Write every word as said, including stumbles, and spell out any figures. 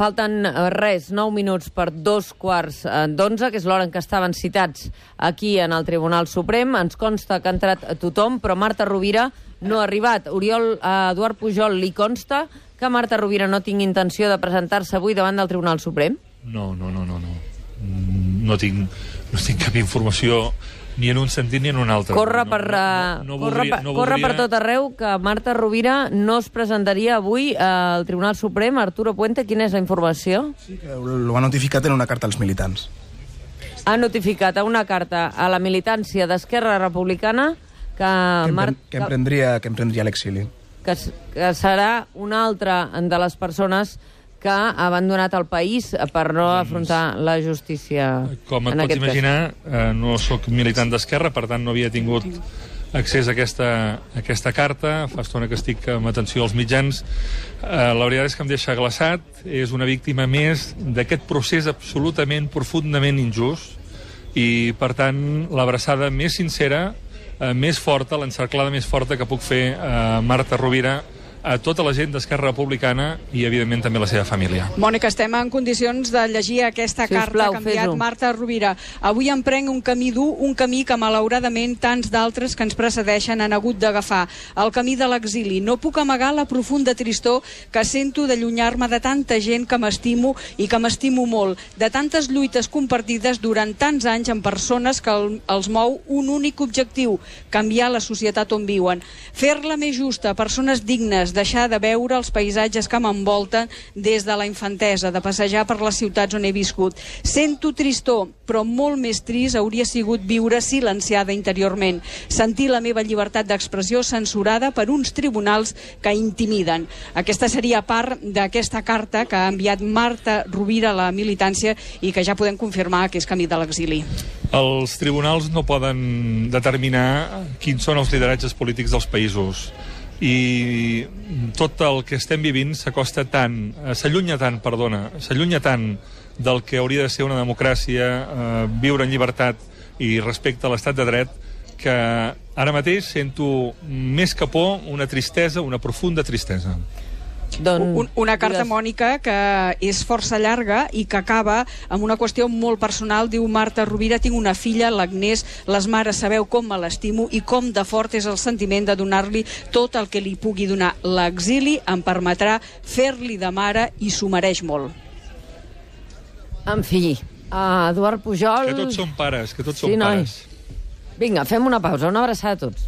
falten res, nou minuts per dos quarts d'onze, que és l'hora en què estaven citats aquí en el Tribunal Suprem. Ens consta que ha entrat tothom, però Marta Rovira no ha arribat. Oriol, a Eduard Pujol li consta que Marta Rovira no tingui intenció de presentar-se avui davant del Tribunal Suprem? No, no, no, no. No, no, tinc, no tinc cap informació ni en un sentit ni en un altre. Corre per, no, no, no, no corre, voldria, per, no corre voldria... per tot arreu que Marta Rovira no es presentaria avui al Tribunal Suprem. Arturo Puente, quina és la informació? Sí, que ho ha notificat en una carta als militants. Ha notificat a una carta a la militància d'Esquerra Republicana que... Que, Mar... que emprendria, que emprendria l'exili. Que, que serà una altra de les persones que ha abandonat el país per no afrontar la justícia. Com et pots imaginar, eh, no sóc militant d'Esquerra, per tant no havia tingut accés a aquesta, a aquesta carta. Fa estona que estic amb atenció als mitjans. Eh, la veritat és que em deixa glaçat. És una víctima més d'aquest procés absolutament, profundament injust. I, per tant, l'abraçada més sincera, eh, més forta, l'encerclada més forta que puc fer a Marta Rovira, a tota la gent d'Esquerra Republicana i, evidentment, també la seva família. Mònica, estem en condicions de llegir aquesta si carta plau, que ha enviat Marta Rovira. Avui emprenc un camí dur, un camí que, malauradament, tants d'altres que ens precedeixen han hagut d'agafar. El camí de l'exili. No puc amagar la profunda tristor que sento d'allunyar-me de tanta gent que m'estimo i que m'estimo molt, de tantes lluites compartides durant tants anys amb persones que el, els mou un únic objectiu, canviar la societat on viuen. Fer-la més justa, persones dignes, deixar de veure els paisatges que m'envolten des de la infantesa, de passejar per les ciutats on he viscut. Sento tristor, però molt més trist hauria sigut viure silenciada interiorment, sentir la meva llibertat d'expressió censurada per uns tribunals que intimiden. Aquesta seria part d'aquesta carta que ha enviat Marta Rovira a la militància i que ja podem confirmar que és camí de l'exili. Els tribunals no poden determinar quins són els lideratges polítics dels països. I tot el que estem vivint s'acosta tant, s'allunya tant, perdona, s'allunya tant del que hauria de ser una democràcia, eh, viure en llibertat i respecte a l'estat de dret, que ara mateix sento més que por una tristesa, una profunda tristesa. Un, una carta, Mònica, que és força llarga i que acaba amb una qüestió molt personal. Diu Marta Rovira: tinc una filla, l'Agnès, les mares sabeu com me l'estimo i com de fort és el sentiment de donar-li tot el que li pugui donar. L'exili em permetrà fer-li de mare i s'ho mereix molt. En fi, uh, Eduard Pujol... Que tots som pares, que tots sí, som pares. Noi. Vinga, fem una pausa, una abraçada a tots.